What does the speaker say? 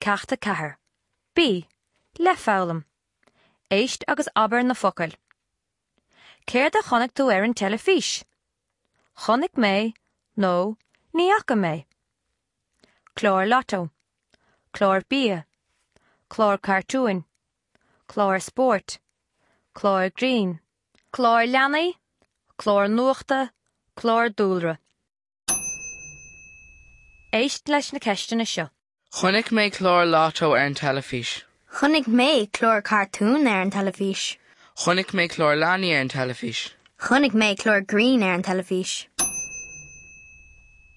Ceacht 4. B. Le foghlaim. Éist agus abair na focail. Céard a chonaic tú ar an teilifís? Chonaic mé nó Ní fhaca mé. Clár Lotto. Clár bia. Clár cartúin. Clár spóirt. Clár grinn. Clár leanaí. Clár nuachta. Clár dúlra. Éist leis na ceisteanna seo. Chonaic mé clár Lotto ar an teilifís. Chonaic mé clár cartún ar an teilifís. Chonaic mé clár leanaí ar an teilifís. Chonaic mé clár grinn ar an teilifís.